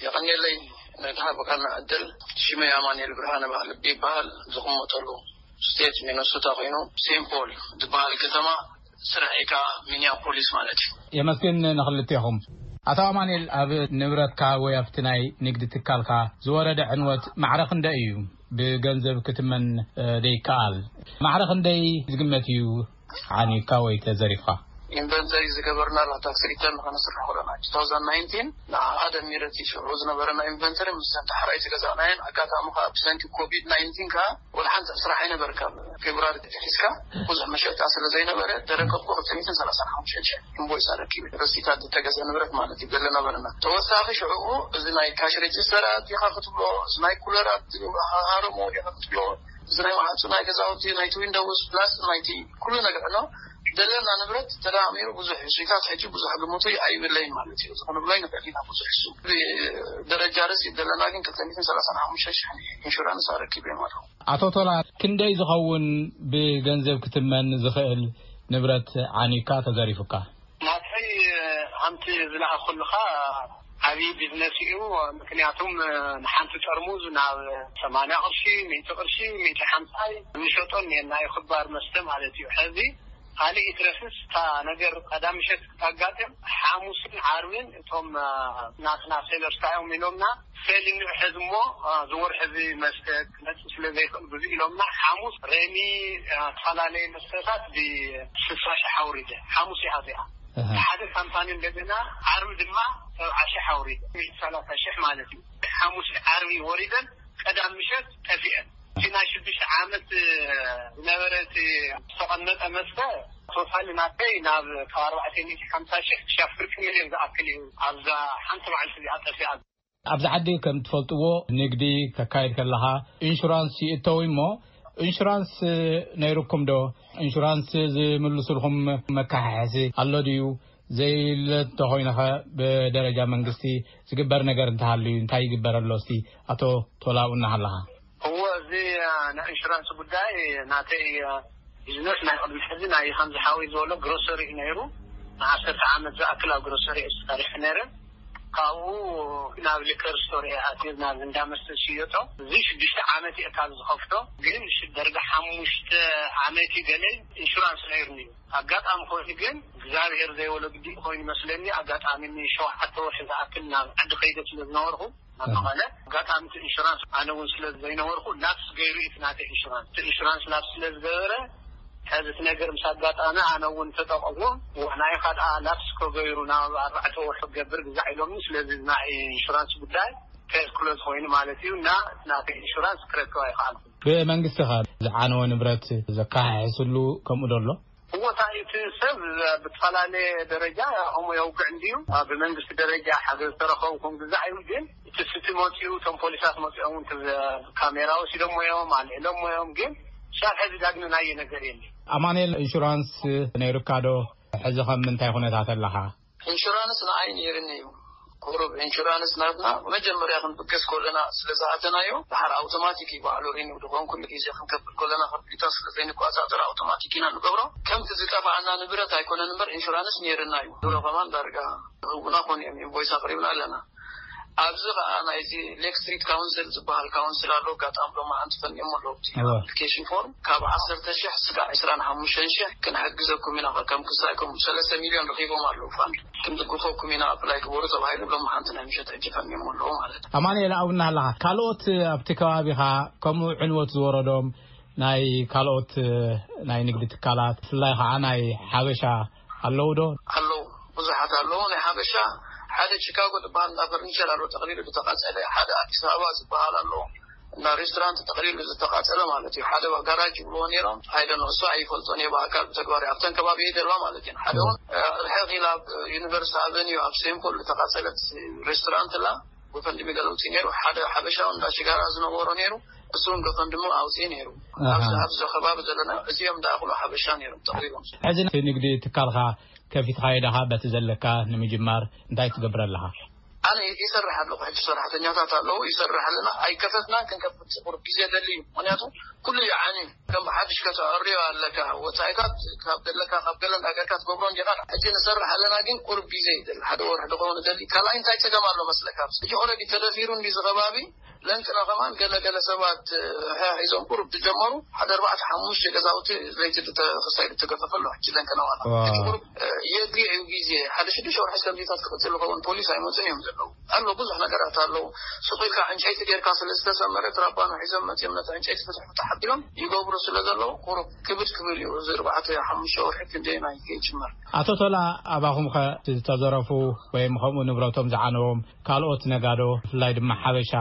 የቐንየለይ ነቲ ሃብካና ዕድል። ሽመይ ኣማኑኤል ብርሃነ ይበሃል። ዝቕመጠሉ ስቴት ሚነሶታ ኮይኑ ሴንት ፖል ዝበሃል ከተማ ስራሕ ኢካ ሚኒያፖሊስ ማለት እዩ። የመስግን ንክልቴኹም። ኣቶ ኣማኑኤል፣ ኣብ ንብረትካ ወይ ኣብቲ ናይ ንግዲ ትካልካ ዝወረደ ዕንወት ማዕረ ክንደይ እዩ? ብገንዘብ ክትመን ዶ ይከኣል? ማዕረ ክንደይ ዝግመት እዩ ዓንዩካ ወይ ተዘሪፍካ? ኢንቨንተሪ ዝገበርናላ ታክስ ሪተርን ከነስርሕ ከለና፣ two thousand nineteen ንዓኣ ደሚረ፣ እቲ ሽዑ ዝነበረና ኢንቨንተሪ ምስ ተሓራይ ዝገዛእናየን፣ ኣጋጣሚ ከዓ ብሰንኪ ኮቪድ ናይንቲን ከዓ ወላ ሓንቲ ስራሕ ኣይነበርካን። ፌብሩዋሪ ተተሒዝካ ብዙሕ መሸጣ ስለ ዘይነበረ፣ ደረከብኩ ክልተ ሚእትን ሰላሳን ሓሙሽተን ሺሕ ኢንቮይስ ኣረኪበ። ረሲታት ዝተገዘ ንብረት ማለት እዩ፣ ገለ ነበረና። ተወሳኺ ሽዑኡ እዚ ናይ ካሽ ሬጅስተራት ዲኻ ክትብሎ፣ እዚ ናይ ኩለራት ሃረሞ ዲኻ ክትብሎ፣ እዚ ናይ መዓጹ ናይ ገዛውቲ፣ ናይቲ ዊንዶውስ ፕላስ ናይቲ ኩሉ ነገር፣ ኖ፣ ደለና ንብረት ተደማሚሩ ብዙሕ እዩ። ስዊታት ሕጂ ብዙሕ ግምቱ ኣይብለይን ማለት እዩ። እዚ ክንብሎ ኣይንኽእል ኢና ብዙሕ እሱ። ደረጃ ርስ ደለና ግን ክልተ ሚእትን ሰላሳን ሓሙሽተ ሺሕ ኢንሹራንስ ኣረኪበ ማለት። ኣቶ ቶላ፣ ክንደይ ዝኸውን ብገንዘብ ክትመን ዝኽእል ንብረት ዓኒካ ተዘሪፉካ? ናተይ፣ ሓንቲ ዝለኣኹልኻ ዓብዪ ቢዝነስ እዩ። ምክንያቱም ንሓንቲ ጠርሙዝ ናብ ሰማንያ ቅርሺ፣ ሚእቲ ቅርሺ፣ ሚእቲ ሓምሳይ ንሸጦ እኒአና እዩ፣ ክባር መስተ ማለት እዩ። ሕዚ ካልእ ይትረፍስ እታ ነገር ቀዳም ምሸት ክታጋጥም፣ ሓሙስን ዓርብን እቶም ናትና ሴለርስ እንታይ እዮም ኢሎምና፣ ሴል እንውሕዝ እሞ፣ አ፣ ዝወርሒ እዚ መስተ ክመጽእ ስለ ዘይኽእል ብዙ ኢሎምና፣ ሓሙስ ሬሚ፣ አ፣ ዝተፈላለየ መስተታት ብስሳ ሺሕ ኣውሪደ። ሓሙስ እያ እዚኣ። ኣሃ። ሓደ ካምፓኒ እንደገና ዓርቢ ድማ ሰብዓ ሺሕ ኣውሪደ። ሰላሳ ሺሕ ማለት እዩ። ሓሙስ ዓርቢ ወሪደን ቀዳም ምሸት ጠፊአን። እቲ ናይ ሽዱሽተ ዓመት ዝነበረ እቲ ዝተቐመጠ መስተ ቶታሊ ናተይ ናብ ካብ ኣርባዕተ ሚእቲ ሓምሳ ሺሕ ክሻብ ፍርቂ ሚልዮን ዝኣክል እዩ ኣብዛ ሓንቲ መዓልቲ እዚኣ ጠፊኣ። ኣብዚ ዓዲ ከም ትፈልጥዎ ንግዲ ከካይድ ከለኻ ኢንሹራንስ ይእተው እሞ፣ ኢንሹራንስ ነይሩኩም ዶ? ኢንሹራንስ ዝምልሱልኩም መካሓሕሲ ኣሎ ድዩ? ዘይለ እንተኾይነኸ ብደረጃ መንግስቲ ዝግበር ነገር እንተሃልዩ እንታይ ይግበረሎ? እስቲ ኣቶ ቶላው እናሃለኻ። እዎ፣ እዚ፣ አ፣ ናይ ኢንሹራንስ ጉዳይ ናተይ፣ አ፣ ቢዝነስ ናይ ቅድሚ ሕዚ ናይ ከምዚ ሓወይ ዝበሎ ግሮሰሪ እዩ ነይሩ። ንዓሰርተ ዓመት ዝኣክል ኣብ ግሮሰሪ እየ ሰሪሐ ነይረ። ካብኡ ናብ ሊከር ስቶር እየ ኣትየ፣ ናብ እንዳ መስተ ዝሽየጦ። እዚ ሽዱሽተ ዓመት እየ ካብ ዝኸፍቶ፣ ግን ሽ-፣ ደርጋ ሓሙሽተ ዓመት እዩ ገለ ኢንሹራንስ ነይሩኒ እዩ። ኣጋጣሚ ኮይኑ ግን እግዚኣብሔር ዘይወሎ ግዲ ኮይኑ መስለኒ፣ ኣጋጣሚ ንሸውዓተ ወርሒ ዝኣክል ናብ ዓዲ ከይደ ስለ ዝነበርኩ፣ ናብ መቐለ፣ ኣጋጣሚ እቲ ኢንሹራንስ ኣነ እውን ስለ ዘይነበርኩ ላፕስ ገይሩ እዩ እቲ ናተይ ኢንሹራንስ። እቲ ኢንሹራንስ ላፕስ ስለ ዝገበረ፣ ሕዚ እቲ ነገር ምስ ኣጋጣሚ ኣነ እውን ተጠቐምዎ። ዋናይ ካልኣ ላፕስ ከገይሩ ናብ ኣርባዕተ ወርሒ ክገብር ግዛዕ ኢሎምኒ። ስለዚ ናይ ኢንሹራንስ ጉዳይ ፌር ክሎዝ ኮይኑ ማለት እዩ እና ናተይ ኢንሹራንስ ክረክብ ኣይኸኣልኩ። ብመንግስቲ ከ ዝዓነወ ንብረት ዘካሓሕስሉ ከምኡ ዶ ኣሎ? እወ፣ እቲ ሰብ ብዝተፈላለየ ደረጃ ከምኡ የውግዕ እንድዩ። ኣብ መንግስቲ ደረጃ ሓገዝ ተረኸብኩም ግዛዕ እዩ፣ ግን እቲ ስቲ መፂኡ፣ እቶም ፖሊሳት መፂኦም እውን እቲ ካሜራ ወሲዶሞ እዮም፣ ኣልዒሎሞ እዮም፣ ግን ክሳብ ሕዚ ዳግመ ናየ ነገር የለን። ኣማኑኤል፣ ኢንሹራንስ ነይሩካ ዶ? ሕዚ ከም ምንታይ ኩነታት ኣለኻ? ኢንሹራንስ ንዓይ ነይርኒ እዩ። ቁሩብ ኢንሹራንስ ናትና መጀመርያ ክንብገስ ከለና ስለ ዝኣተናዮ፣ ድሓር ኣውቶማቲክ እዩ ባዕሉ ሪኒው ድኾን፣ ኩሉ ግዜ ክንከፍል ከለና ከፊልታ ስለ ዘይንቆጻጸር ኣውቶማቲክ ኢና ንገብሮ። ከምቲ ዝጠፋኣና ንብረት ኣይኮነን እምበር ኢንሹራንስ ነይርና እዩ። ድሮ ከማን ዳርጋ ህቡና ኮን እዮም ኢንቮይስ ኣቕሪብና ኣለና። ኣብዚ ኸኣ ናይዚ ሌክ ስትሪት ካውንስል ዝበሃል ካውንስል ኣሎ። ኣጋጣሚ ሎማዓንቲ ፈኒዮሞ ኣለዉ። እቲ እወ። ኣፕሊኬሽን ፎርም ካብ ዓሰርተ ሺሕ ስጋዕ ዕስራን ሓሙሽተን ሺሕ ክንሕግዘኩም ኢና፣ ከም ክሳይ ከም ሰለስተ ሚልዮን ረኺቦም ኣለዉ ፋንድ። ክንድግፈኩም ኢና፣ ኣፕላይ ግበሩ ተባሂሉ ሎማዓንቲ ናይ ምሸት ሕጂ ፈኒዮሞ ኣለዉ ማለት እዩ። ኣማኑኤል፣ ኣብኡ እናሃለኻ ካልኦት ኣብቲ ከባቢኻ ከምኡ ዕንወት ዝወረዶም ናይ ካልኦት ናይ ንግዲ ትካላት ብፍላይ ኸዓ ናይ ሓበሻ ኣለዉ ዶ? ኣለዉ፣ ብዙሓት ኣለዉ። ናይ ሓበሻ ሓደ ቺካጎ ዝበሃል እንዳ ፈርኒቸር ኣሎ፣ ጠቕሊሉ ዝተቓጸለ። ሓደ ኣዲስ ኣበባ ዝበሃል ኣሎ፣ እንዳ ሬስቶራንት ጠቕሊሉ ዝተቓጸለ ማለት እዩ። ሓደ ጋራጅ ይብልዎ ነይሮም፣ I don't know፣ እሱ ኣይፈልጦን እየ ብኣካል ብተግባር ኣብተን ከባቢ እየ ዘለዋ ማለት እዩ። ሓደ እውን፣ እ፣ ርሕቕ ኢላ ኣብ ዩኒቨርሲቲ ኣቨኒዩ ኣብ ሴንት ፖል ዝተቓጸለት ሬስቶራንት ኣላ፣ ጎፈንድሚ ገለውቲ ነይሩ። ሓደ ሓበሻ እውን እንዳ ሽጋራ ዝነበሮ ነይሩ፣ እሱ እውን ጎፈንድሚ ኣውፅኡ ነይሩ። ኣሃ። ኣብዚ፣ ኣብዚ ከባቢ ዘለና እዚኦም እንዳእኽሉ ሓበሻ ነይሮም ተቕሪቦም። ሕዚ እቲ ንግዲ ትካልካ ከፊትካዮ ዳኻ በቲ ዘለካ ንምጅማር እንታይ ትገብር ኣለኻ? ኣነ ይሰርሕ ኣለኹ። ሕጂ ሰራሕተኛታት ኣለዉ፣ ይሰርሕ ኣለና። ኣይከፈትና ክንከፍት ቁሩብ ግዜ ደሊ እዩ። ምኽንያቱ ኩሉ ይዓኒ። ከም ሓድሽ ከተዕርዮ ኣለካ። ወጻኢታት ካብ ዘለካ፣ ካብ ገለ እንዳገርካ ትገብሮ እንዲኻ። ሕጂ ንሰርሕ ኣለና፣ ግን ቁሩብ ግዜ ይደሊ። ሓደ ወርሒ ድኸውን ደሊ። ካልኣይ እንታይ ጸገም ኣሎ መስለካ? ሕጂ ኦልሬዲ ተደፊሩ እንዲ ዝኸባቢ ለንቅና ከማን ገለገለ ሰባት፣ እ፣ ሒዞም ቁሩብ ዝጀመሩ ሓደ ኣርባዕተ ሓሙሽተ ገዛውቲ ለይቲ ክሳይ ዝተገፈፈ ኣሎ። ሕጂ ለንቅና ዋላ ዋው። እቲ ቁሩብ፣ እ፣ የድልዮ እዩ ግዜ። ሓደ ሽዱሽተ ወርሒ ከምዚታት ክቕጽል ይኸውን። ፖሊስ ኣይመጹን እዮም ዘለዉ። ኣሎ፣ ብዙሕ ነገራት ኣለዉ። ሱቕ ኢልካ ዕንጨይቲ ጌርካ ስለ ዝተሰመረ፣ ትራባኖ ሒዞም መጺኦም ነቲ ዕንጨይቲ ፍትሕ ፍትሕ ኣቢሎም ይገብሩ ስለ ዘለዉ፣ ቁሩብ ክብድ ክብል እዩ። እዚ ኣርባዕተ ሓሙሽተ ወርሒ ክንደየናይ ከይጅመር። ኣቶ ቶላ፣ ኣባኹም ኸ ዝተዘረፉ ወይም ከምኡ ንብረቶም ዝዓነዎም ካልኦት ነጋዶ፣ ብፍላይ ድማ ሓበሻ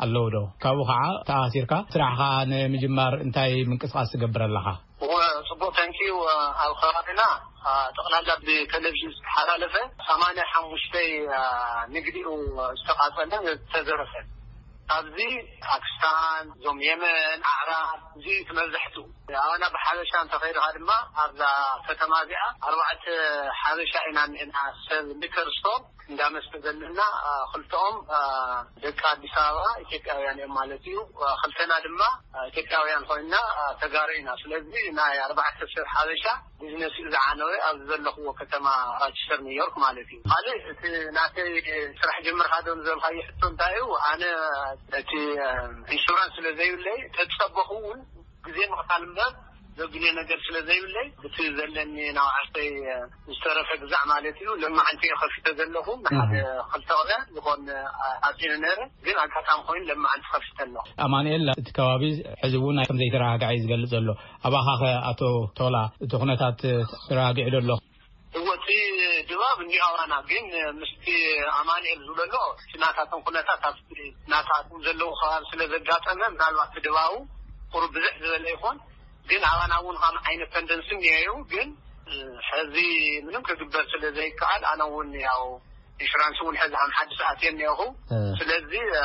ኣለዉ ዶ? ካብኡ ኸዓ ተኣሲርካ ስራሕ ኸዓ ንምጅማር እንታይ ምንቅስቓስ ትገብር ኣለኻ? እወ፣ ጽቡቕ፣ ታንኪዩ። ኣብ ከባቢና፣ አ፣ ጠቕላላ ብቴሌቪዥን ዝተሓላለፈ ሰማንያ ሓሙሽተ፣ አ፣ ንግዲኡ ዝተቓጸለን ዝተዘረፈን። ኣብዚ ፓኪስታን፣ እዞም የመን፣ ኣዕራብ፣ እዚ እቲ መብዛሕትኡ። ኣባና ብሓበሻ እንተኸይድኻ ድማ ኣብዛ ከተማ እዚኣ ኣርባዕተ ሓበሻ ኢና እኒኤና፣ ሰብ ሊከር ስቶር እንዳመስተ ዘለና፣ አ፣ ክልተኦም፣ አ፣ ደቂ ኣዲስ ኣበባ ኢትዮጵያውያን እዮም ማለት እዩ። አ፣ ክልተና ድማ፣ አ፣ ኢትዮጵያውያን ኮይንና፣ አ፣ ተጋሩ ኢና። ስለዚ ናይ ኣርባዕተ ሰብ ሓበሻ ቢዝነስ እዩ ዝዓነወ ኣብዚ ዘለኽዎ ከተማ ራቸስተር ኒውዮርክ ማለት እዩ። ካልእ እቲ ናተይ ስራሕ ጀምርካ ዶ ንዘልካዮ ሕቶ እንታይ እዩ? ኣነ እቲ፣ አ፣ ኢንሹራንስ ስለ ዘይብለይ ተጸበኹ እውን ግዜ ምቕታል እምበር ዘብልዮ ነገር ስለ ዘይብለይ፣ እቲ ዘለኒ ናብዓሰይ ዝተረፈ ግዛዕ ማለት እዩ። ለማዓንቲ እየ ከፊተ ዘለኹ። ንሓደ እህ። ክልተ ቅነ ዝኾን ኣፂነ ነረ፣ ግን ኣጋጣሚ ኮይኑ ለማዓንቲ ከፊተ ኣለኹ። ኣማኑኤል፣ እቲ ከባቢ ሕዚ እውን ከም ዘይተረጋግዐ እዩ ዝገልጽ ዘሎ። ኣባኻ ኸ ኣቶ ቶላ፣ እቲ ኩነታት ተረጋጊዑ ዶ ኣሎ? እወ፣ እቲ ድባብ እንዲሁ ኣባና፣ ግን ምስቲ ኣማኑኤል ዝብለሎ፣ እቲ ናታቶም ኩነታት ኣብቲ ናታቶም ዘለዉ ከባቢ ስለ ዘጋጠመ፣ ምናልባት እቲ ድባቡ ቁሩብ ብዝሕ ዝበለ ይኾን። ግን ኣባና እውን ከም ዓይነት ተንደንሲ እኒአዩ። ግን ሕዚ ምንም ክግበር ስለ ዘይከኣል፣ ኣነ እውን ያው ኢንሹራንስ እውን ሕዚ ከም ሓድሽ ኣትየ እኒአኹ። እ። ስለዚ፣ እ፣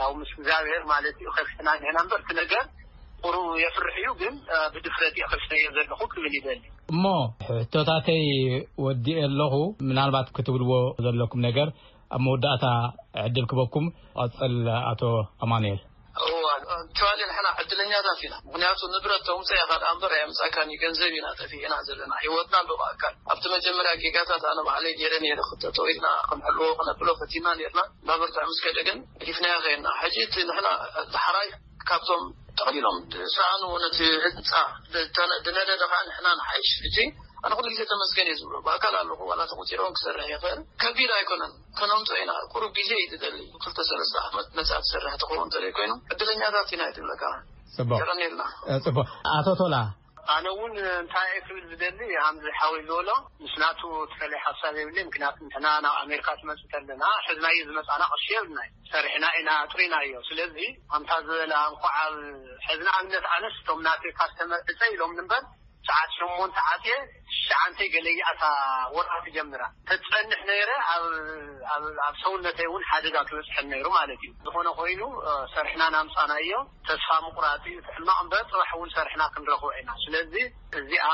ያው ምስ እግዚኣብሔር ማለት እዩ ከፊትና እኒአና እምበር፣ እቲ ነገር ቁሩብ የፍርሕ እዩ። ግን፣ እ፣ ብድፍረት እየ ከፊተዮ ዘለኹ ክብል ይደሊ። እሞ ሕቶታተይ ወዲኤ ኣለኹ። ምናልባት ክትብልዎ ዘለኩም ነገር ኣብ መወዳእታ ዕድል ክበኩም። ቀጽል ኣቶ ኣማኑኤል። እዋ፣ ኣክቹዋሊ ንሕና ዕድለኛታት ኢና። ምኽንያቱ ንብረት ተምፅእ ኢኻ ደኣ እምበር ኣየምፃእካን እዩ። ገንዘብ ኢና ጠፊእና ዘለና። ህይወትና ኣሎ ብኣካል። ኣብቲ መጀመርያ ጌጋታት ኣነ ባዕለይ ገይረ ነይረ። ክተተው ኢልና ክንሕልዎ ክነብሎ ፈቲና ነይርና። እንዳበርትዕ ምስ ከደ ግን ገዲፍናዮ ከይድና። ሕጂ እቲ ንሕና ዳሕራይ ካብቶም ጠቕሊሎም ዝሰኣኑ ነቲ ህንፃ ዝተነ-፣ ዝነደደ ከዓ ንሕና ንሓይሽ። ሕጂ ኣነ ኩሉ ግዜ ተመስገን እየ ዝብሎ። ብኣካል ኣለኹ፣ ዋላ ተቆፂሮም ክሰርሕ ይኽእል። ከቢድ ኣይኮነን፣ ከነምፅኦ ኢና። ቁሩብ ግዜ እዩ ዝደሊ። ክልተ ሰለስተ ዓመት መፅኣ ትሰርሕ ትኸውን እንተዘይ ኮይኑ፣ ዕድለኛታት ኢና እዩ ዝብለካ። ፅቡቅ። የቐንየልና። እ፣ ፅቡቅ። ኣቶ ቶላ። ኣነ እውን እንታይ እየ ክብል ዝደሊ፣ ከምዚ ሓወይ ዝበሎ፣ ምስ ናቱ ተፈለየ ሓሳብ የብለይ። ምክንያቱ ንሕና ናብ ኣሜሪካ ትመፅእ ከለና፣ ሕዝናዮ ዝመፃና ቅርሺ የብልናይ። ሰሪሕና ኢና ኣጥሪናዮ። ስለዚ፣ ከምታ ዝበላ፣ እንኳዕ ኣብ ሕዚ ንኣብነት ኣነስ እቶም ናተይ ካስተመር ዕፀ ኢሎም እምበር፣ ሰዓት ሸሞንተ ዓፅየ፣ ትሽዓንተ ገለ ይኣታ ወርሒ ትጀምራ። ተፀንሕ ነይረ፣ ኣብ፣ ኣብ፣ ኣብ ሰውነተይ እውን ሓደጋ ክበፅሐን ነይሩ ማለት እዩ። ዝኾነ ኮይኑ፣ እ፣ ሰርሕና ናምፃናዮ፣ ተስፋ ምቁራፅ እዩ እቲ ሕማቕ እምበር፣ ፅባሕ እውን ሰርሕና ክንረኽቦ ኢና። ስለዚ እዚኣ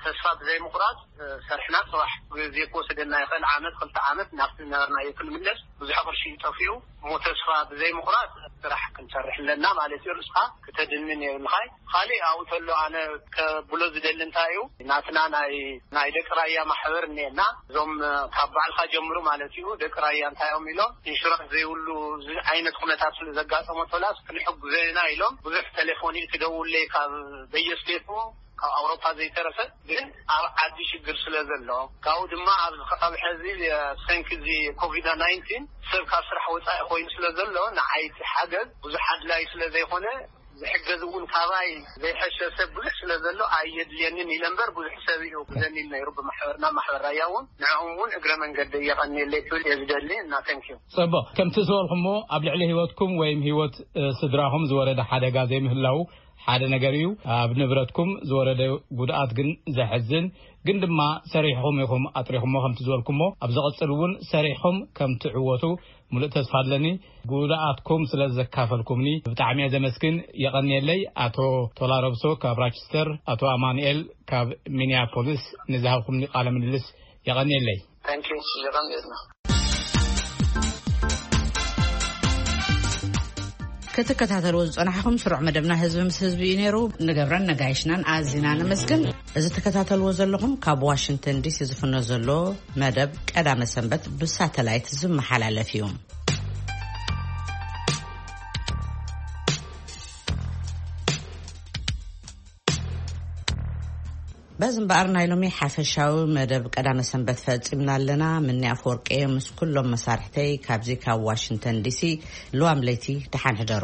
ተስፋ ብዘይምቁራፅ፣ እ፣ ሰርሕና ፅባሕ ግዜ ክወስደና ይኽእል፣ ዓመት፣ ክልተ ዓመት ናብቲ ዝነበርናዮ ክንምለስ። ብዙሕ ቅርሺ እዩ ጠፊኡ። እሞ ተስፋ ብዘይምቑራፅ ስራሕ ክንሰርሕ ኣለና ማለት እዩ። ርእስኻ ክተድንን የብልኻይ። ካሊእ ኣብኡ ተሎ ኣነ ከብሎ ዝደሊ እንታይ እዩ፣ ናትና ናይ፣ ናይ ደቂ ራያ ማሕበር እኒኤና። እዞም ካብ ባዕልካ ጀምሩ ማለት እዩ። ደቂ ራያ እንታይ እዮም ኢሎም፣ ኢንሹራንስ ዘይብሉ እዚ ዓይነት ኩነታት ስለ ዘጋጠሞ ቶላስ ክንሕግዞ ኢና ኢሎም። ብዙሕ ቴሌፎን እዩ ትደውለይ ካብ በየስቴቱ ካብ ኣውሮፓ ዘይተረፈ፣ ግን ኣብ ዓዲ ሽግር ስለ ዘሎ፣ ካብኡ ድማ ኣብዚ ከባቢ ሕዚ፣ እ፣ ሰንኪ እዚ ኮቪድ ናይንቲን ሰብ ካብ ስራሕ ወፃኢ ኮይኑ ስለ ዘሎ፣ ንዓይ እቲ ሓገዝ ብዙሕ ኣድላይ ስለ ዘይኮነ፣ ዝሕገዝ እውን ካባይ ዘይሐሸ ሰብ ብዙሕ ስለ ዘሎ ኣየድልየንን ኢለ እምበር፣ ብዙሕ ሰብ እዩ ክዘኒን ነይሩ ብማሕበርና፣ ማሕበር ራያ እውን። ንዕኦም እውን እግረ መንገዲ የቐንየለይ ክብል እየ ዝደሊ እና፣ ተንኪዩ። ጽቡቕ። ከምቲ ዝበልኩሞ፣ ኣብ ልዕሊ ህይወትኩም ወይም ህይወት፣ እ፣ ስድራኹም ዝወረደ ሓደጋ ዘይምህላው ሓደ ነገር እዩ። ኣብ ንብረትኩም ዝወረደ ጉድኣት ግን ዘሕዝን፣ ግን ድማ ሰሪሕኹም ኢኹም ኣጥሪኹሞ። ከምቲ ዝበልኩሞ፣ ኣብ ዝቕጽል እውን ሰሪሕኹም ከም ትዕወቱ ሙሉእ ተስፋ ኣለኒ። ጉድኣትኩም ስለ ዘካፈልኩምኒ ብጣዕሚ እየ ዘመስግን። የቐንየለይ። ኣቶ ቶላ ረብሶ ካብ ራቸስተር፣ ኣቶ ኣማኑኤል ካብ ሚኒያፖሊስ ንዝሃብኩምኒ ቃለ ምልልስ የቐንየለይ። ታንኪዩ፣ የቐንየልና። ክትከታተልዎ ዝጸናሕኹም ስሩዕ መደብና ህዝቢ ምስ ህዝቢ እዩ ነይሩ። ንገብረን ነጋይሽናን ኣዚና ነመስግን። እዚ ትከታተልዎ ዘለኹም ካብ ዋሽንግተን ዲሲ ዝፍኖ ዘሎ መደብ ቀዳመ ሰንበት ብሳተላይት ዝመሓላለፍ እዩ። በዚ እምበኣር ናይ ሎሚ ሓፈሻዊ መደብ ቀዳመ ሰንበት ፈጺምና ኣለና። ምኒ ኣፈወርቂ ምስ ኩሎም መሳርሕተይ ካብዚ ካብ ዋሽንግተን ዲሲ። ልዋም ለይቲ ደሓን ሕደሩ።